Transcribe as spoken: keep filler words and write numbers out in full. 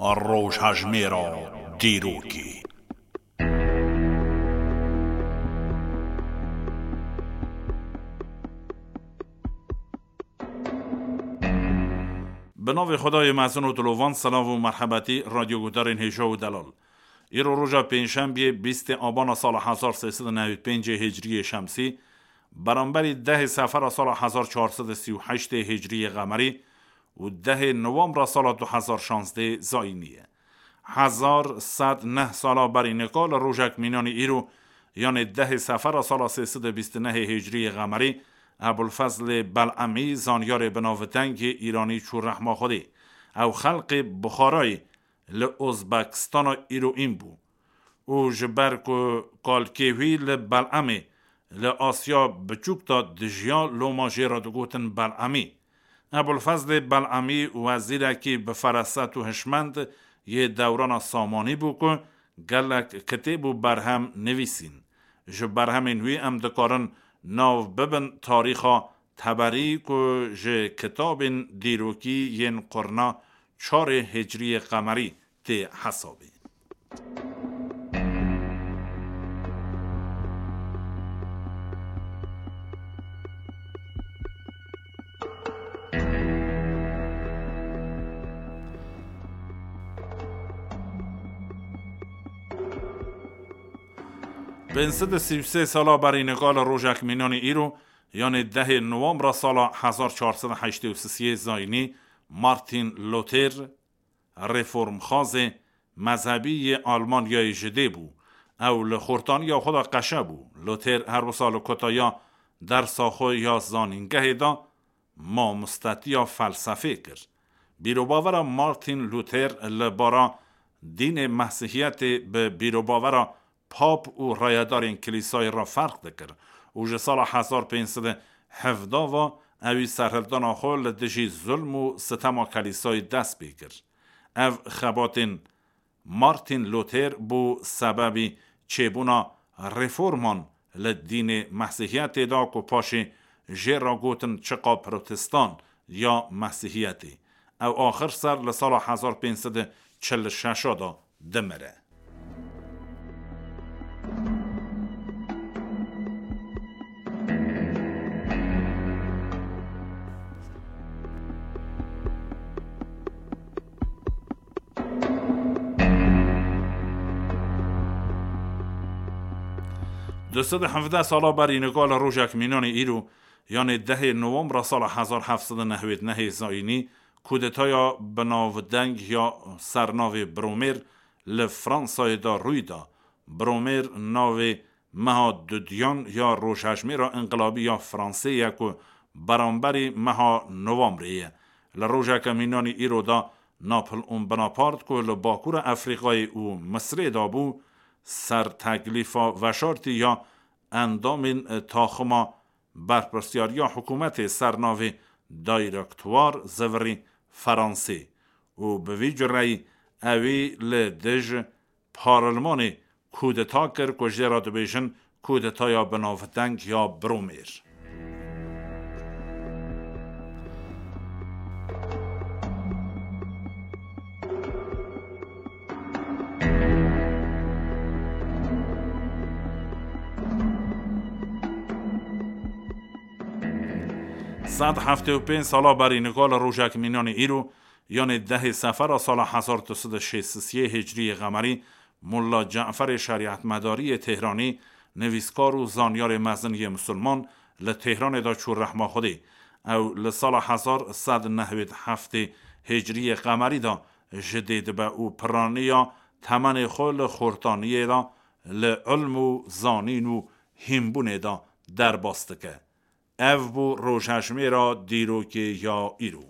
Rojhejmêra dîrokê. Bi navê Xwedayê mezin û dilovan, silav û merhebetî radyoguhdarên hêja û delal. Îro roja pêncşembiyê, bîstê abana sala hezar sê sed û newî pêncê hicriyê şemsî, beramberî dehê sefera sala hezar çar sed û sî û heştê hicriyê qemerî û dehê nowembra sala du hezar şazdê zayînî ye. Hezar sed neh sala berî nika li rojek mînanî îro, yanê dehê sefera sala sê sed û bîst û nehê hicriyê qemerî, Ebulfezlê Belemî, zanyarê binavdengê îranî, çû rehma Xwedê. Ew xelqê Buxarayê li Ozbekistana îroîn bû û ji ber ku kalkê wî li Belemê, li Asya Biçûk de dijiya, loma jê re digotin Belemî. Ebulfezlê Belemî, wezîrekî bi feraset û hişmend yê dewrana Samanî bû ku gelek kitêb û berhem nivîsîn. Ji berhemên wî em dikarin nav bibin tarîxa Teberî ku ji kitabên dîrokî yên qurna çarê hicriyê qemerî tê hesabê. Pênc sed û sî û sê sala berî nika li rojek mînanî îro, yanê dehê nowembra sala hezar çar sed û heştê û sisê zayînî, Martin Luther, reformxazê mezhebî yê Almanyayê ji dê bû. Ew li xortaniya xwe de qeşe bû. Luther her wisa li kotaya dersa xwe ya zanîngehê de mamostetiya felsefê kir. Bîrobavera Martin Luther li bara dînê Mesihiyetê bi bîrobavera pap û rayedarên Kilîsayê re ferq dikir û ji sala hezar pênc sed û hevdeh ve ewî serhildana xwe li dijî zulm û sitema Kilîsayê dest pê kir. Ev xebatên Martin Luther bû sebebî çêbûna reforman li dînê Mesihiyetê de ku paşê jê re gotin çiqa Protestan ya Mesihiyetê. Ew axir ser li sala hezar pênc sed û çil û şeş de dimire. Du sed û hevdeh sala berî nika li rojek mînanê îro, yanê dehê nowembra sala hezar heft sed û nehwêd nehê zayînî, kudetaya binavdeng ya sernavê Bromêr li Fransayê de rûy da. Bromêr navê meha dudiyan ya rojhejmêra înqilabî ya Fransê ye ku beramberî meha Novembrê ye. Li rojeke mînanî îro de Napoleon Bonaparte ku li Bakûra Efrîqayê û Misirê de bû, ser teklîfa veşartî ya endamên taxima berpirsiyariya hikûmetê ser navê Directoire zivirî Fransê û bi vî cureyî ewî li dij parlemanê kudeta kir ku jê re dibêjin kudetaya binavdeng ya Bromêr. Sed heftê û pênc sala berî nika li rojek mînanê îro, yanê dehê sefera sala hezar du sed û şêst û sê hicriyê qemerî, Molla Caferê Şerîetmedarî yê Tehranî, nivîskar û zanyarê mezin yê misilman, li Tehranê de çû rehma Xwedê. Ew li sala hezar sed nehwêd heftê hicriyê qemerî de ji dê dibe û piraniya temenê xwe li xortaniyê de li ilm û zanîn û hînbûnê de derbas dike. Ev bû rojhejmêra dîrokê ya îro.